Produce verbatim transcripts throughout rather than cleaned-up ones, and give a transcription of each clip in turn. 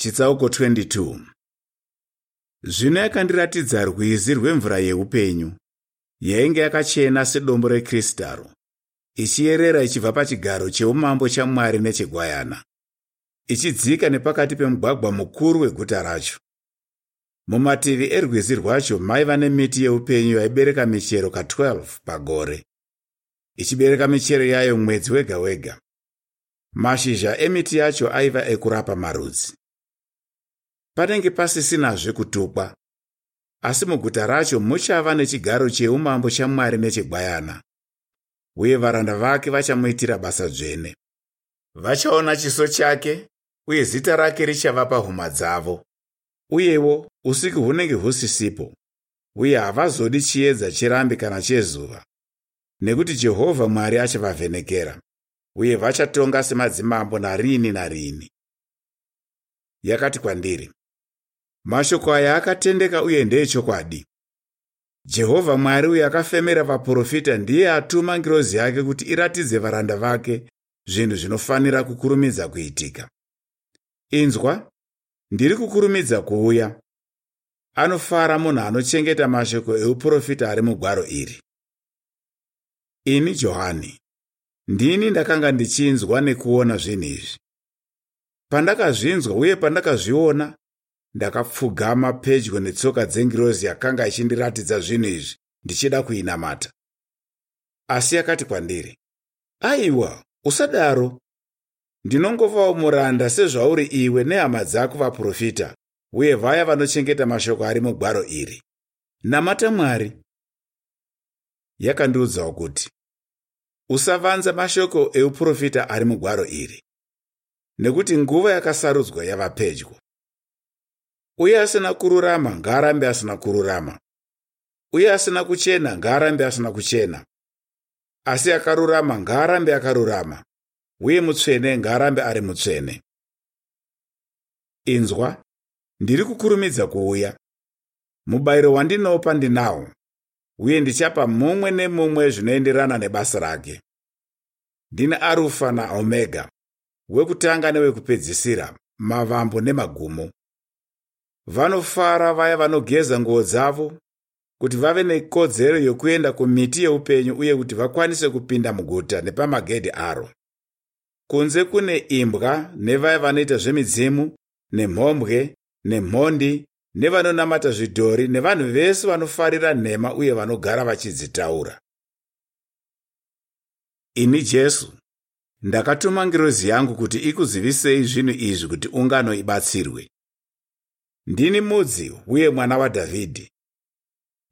Chitsauko twenty two. Zvino yakandiratidza rwizi rwemvura yeupenyu, yainge yakachena sedombo rekristaro, ichiyerera ichibva pachigaro cheumambo chaMwari nechegwayana, ichidzika nepakati pemugwagwa mukuru weguta racho. Mumativi erwizi rwacho maiva nemiti yeupenyu yaibereka michero ka twelve pagore, ichibereka michero yayo mwedzi wega wega. Mashizha emiti yacho aiva ekurapa marudzi. Panenge pasisinazve kutukwa, asi muguta racho muchava nechigaro cheumambo chaMwari nechegwayana, uye varanda vake vachamuitira basa dzvene. Vachaona chiso chake, uye zita rake richava pahuma dzavo. Uyewo usiku hunenge husisipo, uye havazodi chiedza cherambi kana chezuva, nekuti Jehovha Mwari achavavhenekera, uye vachatonga semadzimambo narini narini. Yakati kwandiri, mashoko aya akatendeka uye ndeechokwadi. Jehovha Mwari uyo akafemera vaprofita ndiye atuma ngirozi yake kuti iratidze varanda vake zvinhu zvinofanira kukurumidza kuitika. Inzwa, ndiri kukurumidza kuuya. Anofara munhu anochengeta mashoko euprofita ari mugwaro iri. Ini Johani, ndini ndakanga ndichinzwa nekuona zvinhu izvi. Pandakazvinzwa uye pandakazviona, ndakapfugama pedyo netsoka dzengirozi yakanga ichindiratidza zvinhu izvi ndichida kuinamata. Asi yakati kwandiri, aiwa, usadaro. Ndinongovawo muranda sezvauri iwe nehama dzako vaprofita, uye vaya vanochengeta mashoko ari mugwaro iri. Namata Mwari. Yakandiudzawo kuti, usavanza mashoko euprofita ari mugwaro iri, nekuti nguva yakasarudzwa yava pedyo. Uye asina kururama ngaarambe asina kururama, uye asina kuchena ngaarambe asina kuchena, asi akarurama ngaarambe akarurama, uye mutsvene ngaarambe ari mutsvene. Inzwa, ndiri kukurumidza kuuya. Mubayiro wandinopa ndinawo, uye ndichapa mumwe nemumwe zvinoenderana nebasa rake. Ndini Arufa naOmega, wekutanga newekupedzisira, mavambo nemagumo. Vanofara vaya vanogeza nguo dzavo, kuti vave nekodzero yokuenda kumiti yeupenyu uye kuti vakwanise kupinda muguta nepamagedhi aro. Kunze kune imbwa nevaya vanoita zvemidzimu, nemhombwe, nemhondi, nevanonamata zvidhori, nevanhu vese vanofarira nhema uye vanogara vachidzitaura. Ini Jesu, ndakatuma ngirozi yangu kuti ikuzivisei zvinhu izvi kuti ungano ibatsirwe. Ndini mudzi uye mwana waDhavhidhi,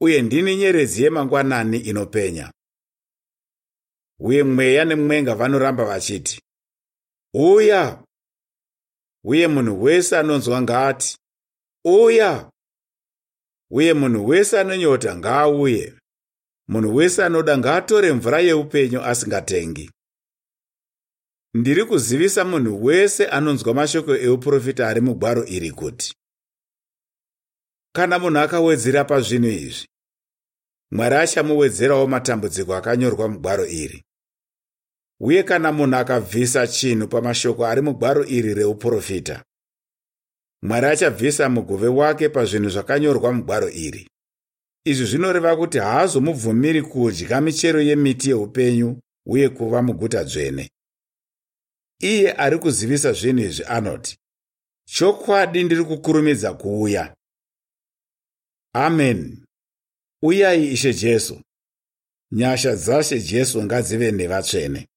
uye ndini nyeredzi yemangwanani inopenya. Uye mweya nemwenga vanoramba vachiti, uya! Uye munhu wese anonzwa ngaati, uya! Uye munhu wese anonyota ngaauye. Munhu wese anoda ngaatore mvura yeupenyu asingatengi. Ndiri kuzivisa munhu wese anonzwa mashoko euprofita ari mugwaro iri kuti, kana munhu akawedzera pazvinhu izvi, Mwari achamuwedzerawo matambudziko akanyorwa mugwaro iri. Uye kana munhu akabvisa chinhu pamashoko ari mugwaro iri reuprofita, Mwari achabvisa mugove wake pazvinhu zvakanyorwa mugwaro iri. Izvi zvinoreva kuti haazomubvumiri kudya michero yemiti yeupenyu uye kuva muguta dzvene. Iye ari kuzivisa zvinhu izvi anoti, chokwadi ndiri kukurumidza kuuya. Amen. Uyai Ishe Jesu. Nyasha dzaShe Jesu ngadzive nevatsvene.